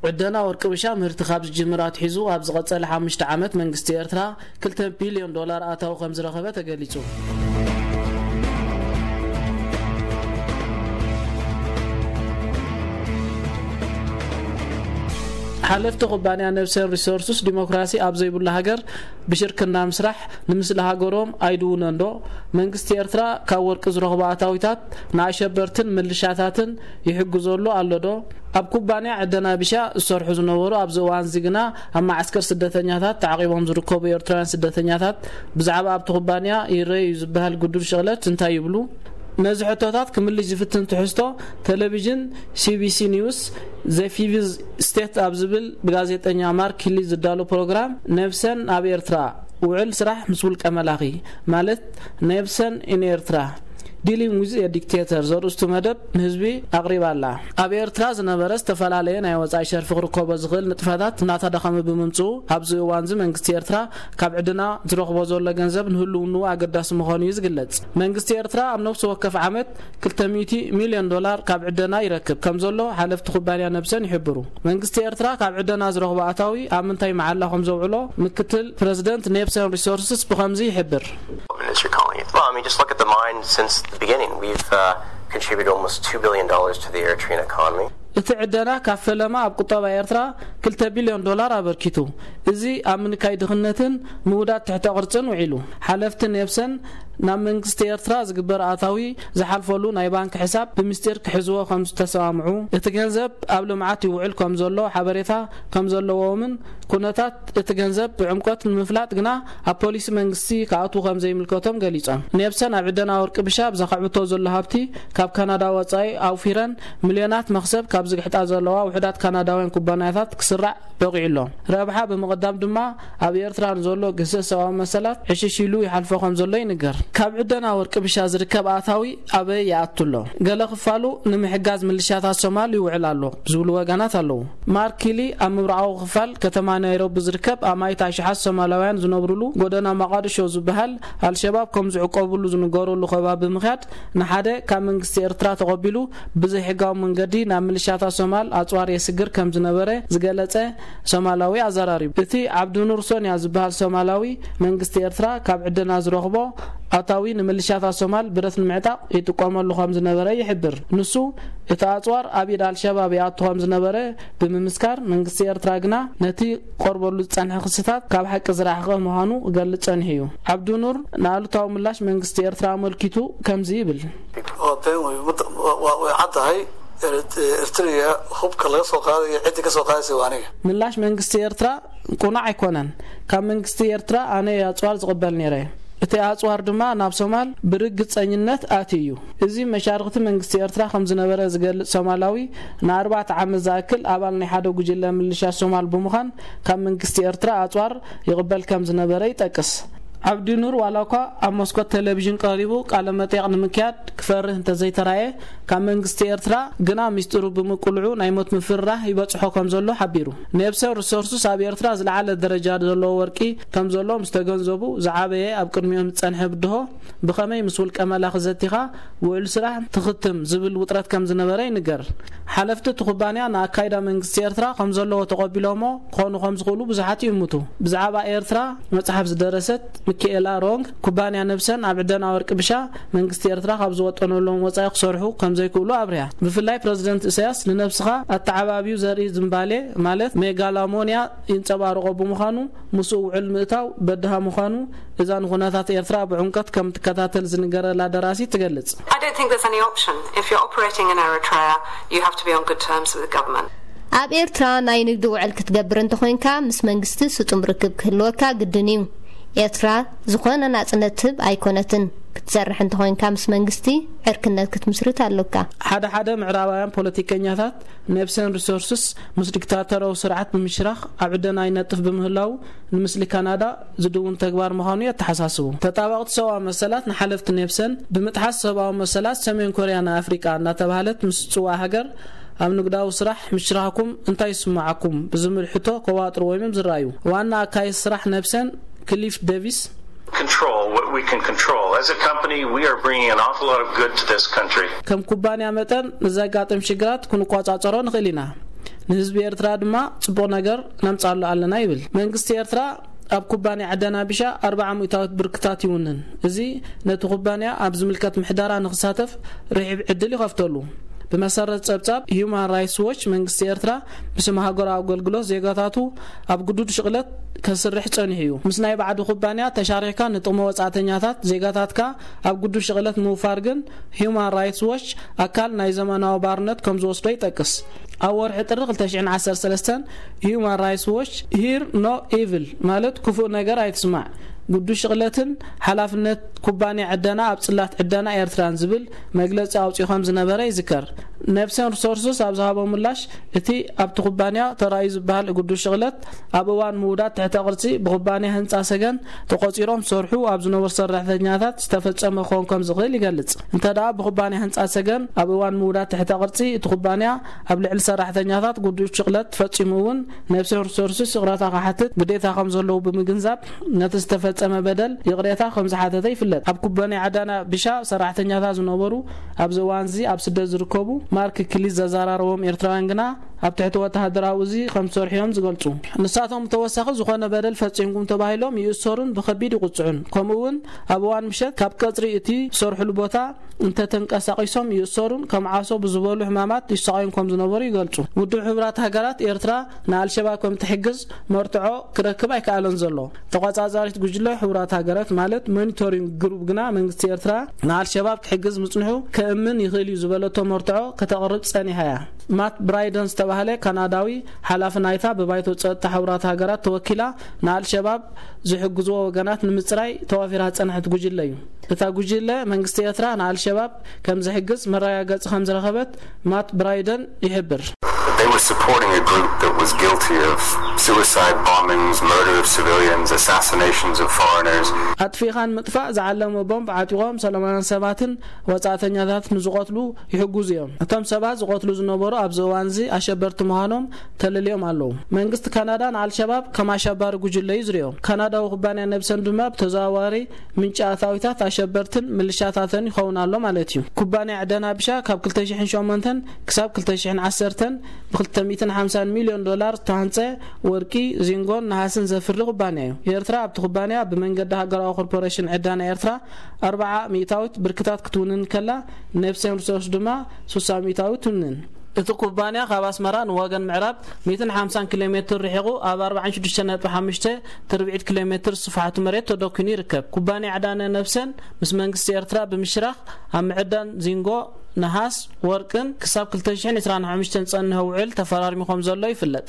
ዕደና ወርቂ ብሻ ምህርቲ ካብ ዝጅምር ኣትሒዙ ኣብ ዝቐጸለ ሓሙሽተ ዓመት መንግስቲ ኤርትራ ክልተ ቢልዮን ዶላር ኣታዊ ከም ዝረኸበ ተገሊጹ። ሓለፍቲ ኩባንያ ነብሰን ሪሶርስስ ዲሞክራሲ ኣብ ዘይብሉ ሃገር ብሽርክና ምስራሕ ንምስሊ ሃገሮም ኣይድውነን ዶ? መንግስቲ ኤርትራ ካብ ወርቂ ዝረኽቦ ኣታዊታት ንኣሸበርትን ምልሻታትን ይሕግዘሉ ኣሎ ዶ? ኣብ ኩባንያ ዕደና ቢሻ ዝሰርሑ ዝነበሩ ኣብዚ እዋን እዚ ግና ኣብ መዓስከር ስደተኛታት ተዓቂቦም ዝርከቡ ኤርትራውያን ስደተኛታት ብዛዕባ ኣብቲ ኩባንያ ይረኣዩ ዝበሃል ግዱድ ሽቕለት እንታይ ይብሉ? ነዚ ሕቶታት ክምልሽ ዝፍትን ትሕዝቶ ቴሌቪዥን ሲቢሲ ኒውስ ዘ ፊቭዝ ስቴት ኣብ ዝብል ብጋዜጠኛ ማርክ ሂሊ ዝዳሎ ፕሮግራም ነብሰን ኣብ ኤርትራ ውዕል ስራሕ ምስ ውልቀ መላኺ ማለት ነብሰን ኢን ኤርትራ ዲሊንግ ዊዝ ኤ ዲክቴተር ዘርእስቱ መደብ ንህዝቢ ኣቕሪባ ኣላ። ኣብ ኤርትራ ዝነበረ ዝተፈላለየ ናይ ወጻኢ ሸርፊ ክርከቦ ዝኽእል ንጥፈታት እናተዳኸመ ብምምጽኡ ኣብዚ እዋንዚ መንግስቲ ኤርትራ ካብ ዕድና ዝረኽቦ ዘሎ ገንዘብ ንህልውንኡ ኣገዳሲ ምዃኑ እዩ ዝግለጽ። መንግስቲ ኤርትራ ኣብ ነፍሲ ወከፍ ዓመት ክልተ ሚእቲ ሚልዮን ዶላር ካብ ዕደና ይረክብ ከም ዘሎ ሓለፍቲ ኩባንያ ነብሰን ይሕብሩ። መንግስቲ ኤርትራ ካብ ዕደና ዝረኽቦ ኣታዊ ኣብ ምንታይ መዓላ ከም ዘውዕሎ ምክትል ፕረዚደንት ኔፕሰን ሪሶርስስ ብኸምዚ ይሕብር። Minister Conley. Well, I mean, just look at the mine since the beginning. We've uh, contributed almost two billion dollars to the Eritrean economy. እቲ ዕደና ካብ ፈለማ ኣብ ቁጠባ ኤርትራ ክልተ ቢልዮን ዶላር ኣበርኪቱ። እዚ ኣብ ምንካይ ድኽነትን ምውዳድ ትሕተ ቅርጽን ውዒሉ። ሓለፍቲ ኔፕሰን ናብ መንግስቲ ኤርትራ ዝግበር ኣታዊ ዝሓልፈሉ ናይ ባንክ ሕሳብ ብምስጢር ክሕዝዎ ከም ዝተሰማምዑ፣ እቲ ገንዘብ ኣብ ልምዓት ይውዕል ከም ዘሎ ሓበሬታ ከም ዘለዎምን ኩነታት እቲ ገንዘብ ብዕምቆት ንምፍላጥ ግና ኣብ ፖሊሲ መንግስቲ ክኣትዉ ከም ዘይምልከቶም ገሊጾም። ኔፕሰን ኣብ ዕደና ወርቂ ብሻ ብዘኻዕብቶ ዘሎ ሃብቲ ካብ ካናዳ ወጻኢ ኣውፊረን ሚልዮናት መኽሰብ ካብ ዝግሕጣ ዘለዋ ውሑዳት ካናዳውያን ኩባንያታት ክስራዕ በቒዑ ኣሎ። ረብሓ ብምቕዳም ድማ ኣብ ኤርትራ ንዘሎ ግህሰት ሰብኣዊ መሰላት ዕሽሽ ኢሉ ይሓልፎ ከም ዘሎ ይንገር። ካብ ዕደና ወርቂ ብሻ ዝርከብ ኣታዊ ኣበይ ይኣቱ ኣሎ? ገለ ክፋሉ ንምሕጋዝ ምልሻታት ሶማል ይውዕል ኣሎ ዝብሉ ወገናት ኣለዉ። ማርክ ኪሊ ኣብ ምብራቓዊ ክፋል ከተማ ናይሮቢ ዝርከብ ኣማኢት ኣሽሓት ሶማላውያን ዝነብሩሉ ጎደና መቓድሾ ዝበሃል ኣልሸባብ ከም ዝዕቆብሉ ዝንገረሉ ከባቢ ብምኽያድ ንሓደ ካብ መንግስቲ ኤርትራ ተቐቢሉ ብዘይሕጋዊ መንገዲ ናብ ምልሻታት ሶማል ኣጽዋር የስግር ከም ዝነበረ ዝገለጸ ሶማላዊ ኣዘራሪቡ። እቲ ዓብዱኑር ሶንያ ዝበሃል ሶማላዊ መንግስቲ ኤርትራ ካብ ዕደና ዝረኽቦ ኣታዊ ንምልሻታት ሶማል ብረት ንምዕጣቕ ይጥቀመሉ ከም ዝነበረ ይሕብር። ንሱ እቲ ኣጽዋር ኣብ ኢድ ኣልሸባብ ይኣቱ ከም ዝነበረ ብምምስካር መንግስቲ ኤርትራ ግና ነቲ ቀርበሉ ዝጸንሐ ክስታት ካብ ሓቂ ዝረሓቐ ምዃኑ ክገልጽ ጸኒሑ እዩ። ዓብዱኑር ንኣሉታዊ ምላሽ መንግስቲ ኤርትራ ኣመልኪቱ ከምዚ ይብል። Waa been wey, muddo- waa- waa- way caddahay. Erit- Eritrea hubka laga soo qaadayo ciddi ka soo qaadaysa waa aniga. ምላሽ መንግስቲ ኤርትራ ቁኑዕ ኣይኮነን። ካብ መንግስቲ ኤርትራ ኣነ ኣጽዋር ዝቕበል ነይረ። እቲ ኣጽዋር ድማ ናብ ሶማል ብርግጸኝነት ኣትዩ እዩ። እዚ መሻርኽቲ መንግስቲ ኤርትራ ከም ዝነበረ ዝገልጽ ሶማላዊ ንኣርባዕተ ዓመት ዝኣክል ኣባል ናይ ሓደ ጉጅለ ምልሻ ሶማል ብምዃን ካብ መንግስቲ ኤርትራ ኣጽዋር ይቕበል ከም ዝነበረ ይጠቅስ። ዓብዲ ኑር ዋላ እኳ ኣብ መስኮት ቴሌቪዥን ቀሪቡ ቃለ መጠይቕ ንምክያድ ክፈርህ እንተዘይተራየ ካብ መንግስቲ ኤርትራ ግና ሚስጢሩ ብምቅልዑ ናይ ሞት ምፍርራህ ይበጽሖ ከም ዘሎ ሓቢሩ። ኔፕሰን ሪሶርስስ ኣብ ኤርትራ ዝለዓለ ደረጃ ዘለዎ ወርቂ ከም ዘሎ ምስ ተገንዘቡ ዝዓበየ ኣብ ቅድሚኦም ዝጸንሐ ብድሆ ብኸመይ ምስ ውልቀ መላኺ ዘቲኻ ውዕል ስራሕ ትኽትም ዝብል ውጥረት ከም ዝነበረ ይንገር። ሓለፍቲ እቲ ኩባንያ ንኣካይዳ መንግስቲ ኤርትራ ከም ዘለዎ ተቐቢሎሞ ክኾኑ ከም ዝኽእሉ ብዙሓት ይእምቱ። ብዛዕባ ኤርትራ መጽሓፍ ዝደረሰት ሚካኤላ ሮንግ ኩባንያ ነብሰን ኣብ ዕደና ወርቂ ብሻ መንግስቲ ኤርትራ ካብ ዝወጠነሎም ወጻኢ ክሰርሑ ከም ዘይክእሉ ኣብሪሃ። ብፍላይ ፕረዚደንት ኢሳያስ ንነብስኻ ኣተዓባብዩ ዘርኢ ዝምባሌ ማለት ሜጋላሞንያ ይንጸባርቖ ብምዃኑ ምስኡ ውዕል ምእታው በድሃ ምዃኑ እዛ ንኹነታት ኤርትራ ብዕምቀት ከም ትከታተል ዝንገረላ ደራሲት ትገልጽ። I don't think there's any option. If you're operating in Eritrea, you have to be on good terms with the government. ኣብ ኤርትራ ናይ ንግዲ ውዕል ክትገብር እንተኾይንካ ምስ መንግስቲ ስጡም ርክብ ክህልወካ ግድን እዩ። ኤርትራ ዝኾነ ናጽነት ትህብ ኣይኮነትን። ክትሰርሕ እንተኾይንካ ምስ መንግስቲ ዕርክነት ክትምስርት ኣሎካ። ሓደ ሓደ ምዕራባውያን ፖለቲከኛታት ኔፕሰን ሪሶርስስ ምስ ዲክታተራዊ ስርዓት ብምሽራኽ ኣብ ዕደና ይነጥፍ ብምህላዉ ንምስሊ ካናዳ ዝድውን ተግባር ምዃኑ የተሓሳስቡ። ተጣበቕቲ ሰብኣዊ መሰላት ንሓለፍቲ ኔፕሰን ብምጥሓስ ሰብኣዊ መሰላት ሰሜን ኮርያ ንኣፍሪቃ እናተባህለት ምስ ትጽዋዕ ሃገር ኣብ ንግዳዊ ስራሕ ምሽራኽኩም እንታይ ይስምዓኩም ብዝብል ሕቶ ከዋጥርዎም እዮም ዝረኣዩ። ዋና ኣካይዲ ስራሕ ኔፕሰን ክሊፍ ዴቪስ Control what we can control. As a company, we are bringing an awful lot of good to this country. ከም ኩባንያ መጠን ንዘጋጥም ሽግራት ክንቆጻጸሮ ንኽእል ኢና። ንህዝቢ ኤርትራ ድማ ጽቡቕ ነገር ነምጻሉ ኣለና ይብል። መንግስቲ ኤርትራ ኣብ ኩባንያ ዕደና ቢሻ ኣርብዓ ሚእታዊት ብርክታት ይውንን። እዚ ነቲ ኩባንያ ኣብ ዝምልከት ምሕደራ ንክሳተፍ ርሒብ ዕድል ይኸፍተሉ። ብመሰረት ጸብጻብ ሂዩማን ራይትስ ዎች፣ መንግስቲ ኤርትራ ብስም ሃገራዊ ኣገልግሎት ዜጋታቱ ኣብ ግዱድ ሽቕለት ከስርሕ ጸኒሑ እዩ። ምስ ናይ ባዕዱ ኩባንያ ተሻሪሕካ ንጥቕሚ ወጻእተኛታት ዜጋታትካ ኣብ ግዱድ ሽቕለት ምውፋር ግን ሂዩማን ራይትስ ዎች ኣካል ናይ ዘመናዊ ባርነት ከም ዝወስዶ ይጠቅስ። ኣብ ወርሒ ጥሪ ክልተ ሽሕን ዓሰርተ ሰለስተን ሂዩማን ራይትስ ዎች ሂር ኖ ኢቭል ማለት ክፉእ ነገር ኣይትስማዕ፣ ግዱድ ሽቕለትን ሓላፍነት ኩባንያ ዕደና ኣብ ጽላት ዕደና ኤርትራን ዝብል መግለጺ ኣውጺኡ ከም ዝነበረ ይዝከር። ነብሰን ሪሶርስስ ኣብ ዝሃቦ ምላሽ፣ እቲ ኣብቲ ኩባንያ ተራእዩ ዝበሃል ግዱድ ሽቕለት ኣብ እዋን ምውዳድ ትሕተ ቅርጺ ብኩባንያ ህንጻ ሰገን ተቆጺሮም ዝሰርሑ ኣብ ዝነበሩ ሰራሕተኛታት ዝተፈጸመ ክኸውን ከም ዝኽእል ይገልጽ። እንተ ደኣ ብኩባንያ ህንጻ ሰገን ኣብ እዋን ምውዳድ ትሕተ ቅርጺ እቲ ኩባንያ ኣብ ልዕሊ ሰራሕተኛታት ግዱድ ሽቕለት ፈጺሙ እውን ነብሰን ሪሶርስስ ይቕረታ ክሓትት ግዴታ ከም ዘለዉ ብምግንዛብ ነቲ ዝተፈጸመ በደል ይቕሬታ ከም ዝሓተተ ይፍለጥ። ኣብ ኩባንያ ዕደና ቢሻ ሰራሕተኛታት ዝነበሩ ኣብዚ እዋን እዚ ኣብ ስደት ዝርከቡ ማርክ ክሊዝ ዘዘራረቦም ኤርትራውያን ግና ኣብ ትሕቲ ወተሃደራዊ እዚ ከም ዝሰርሑ እዮም ዝገልጹ። ንሳቶም ብተወሳኺ ዝኾነ በደል ፈጺምኩም ተባሂሎም ይእሰሩን ብኸቢድ ይቕጽዑን። ከምኡ እውን ኣብ እዋን ምሸት ካብ ቀጽሪ እቲ ዝሰርሕሉ ቦታ እንተተንቀሳቒሶም ይእሰሩን ከም ዓሶ ብዝበሉ ሕማማት ይሰቓዩን ከም ዝነበሩ ይገልጹ። ውድብ ሕቡራት ሃገራት ኤርትራ ንኣልሸባብ ከም ትሕግዝ መርትዖ ክረክብ ኣይከኣለን ዘሎ። ተቖጻጻሪት ጉጅለ ሕቡራት ሃገራት ማለት ሞኒቶሪንግ ግሩፕ ግና መንግስቲ ኤርትራ ንኣልሸባብ ክሕግዝ ምጽንሑ ከእምን ይኽእል እዩ ዝበለቶ መርትዖ ከተቕርብ ጸኒሓ እያ። ማት ብራይደን ዝተባህለ ካናዳዊ ሓላፊ ናይታ ብባይቶ ጸጥታ ሕቡራት ሃገራት ተወኪላ ንኣልሸባብ ዝሕግዝዎ ወገናት ንምጽራይ ተዋፊራ ዝጸንሐት ጉጅለ እዩ። እታ ጉጅለ መንግስቲ ኤርትራ ንኣልሸባብ ከም ዝሕግዝ መረጋገጺ ከም ዝረኸበት ማት ብራይደን ይሕብር። They were supporting a group that was guilty of suicide bombings, murder of civilians, assassinations of foreigners. ኣጥፊእኻን ምጥፋእ ዝዓለመ ቦምብ ዓጢቖም ሰላማውያን ሰባትን ወጻእተኛታት ንዝቐትሉ ይሕግዙ እዮም። እቶም ሰባት ዝቐትሉ ዝነበሩ ኣብዚ እዋን እዚ ኣሸበርቲ ምዃኖም ተለልዮም ኣለዉ። መንግስቲ ካናዳ ንኣልሸባብ ከም ኣሸባሪ ጉጅለ እዩ ዝርእዮ። ካናዳዊ ኩባንያ ነብሰን ድማ ብተዘዋዋሪ ምንጪ ኣታዊታት ኣሸበርትን ምልሻታተን ይኸውን ኣሎ ማለት እዩ። ኩባንያ ዕደና ቢሻ ካብ ክልተ ሽሕን ሸሞንተን ክሳብ ክልተ ሽሕን ዓሰርተን ብ250 ሚልዮን ዶላር ዝተሃንጸ ወርቂ፣ ዚንጎን ነሃስን ዘፍሪ ኩባንያ እዩ። ኤርትራ ኣብቲ ኩባንያ ብመንገዲ ሃገራዊ ኮርፖሬሽን ዕደና ኤርትራ ኣርብዓ ሚእታዊት ብርክታት ክትውንን ከላ፣ ነብሰን ሪሶርስ ድማ ስሳ ሚእታዊት ትውንን። እቲ ኩባንያ ካብ ኣስመራ ንወገን ምዕራብ ሚእትን ሓምሳን ኪሎ ሜትር ርሒቑ ኣብ ኣርባዓን ሽዱሽተ ነጥቢ ሓሙሽተ ትርብዒት ኪሎ ሜትር ስፍሓቱ መሬት ተደኪኑ ይርከብ። ኩባንያ ዕዳነ ነብሰን ምስ መንግስቲ ኤርትራ ብምሽራኽ ኣብ ምዕዳን ዚንጎ፣ ነሃስ፣ ወርቅን ክሳብ ክልተ ሽሕን ዕስራን ሓሙሽተን ዝጸንሐ ውዕል ተፈራሪሙ ከም ዘሎ ይፍለጥ።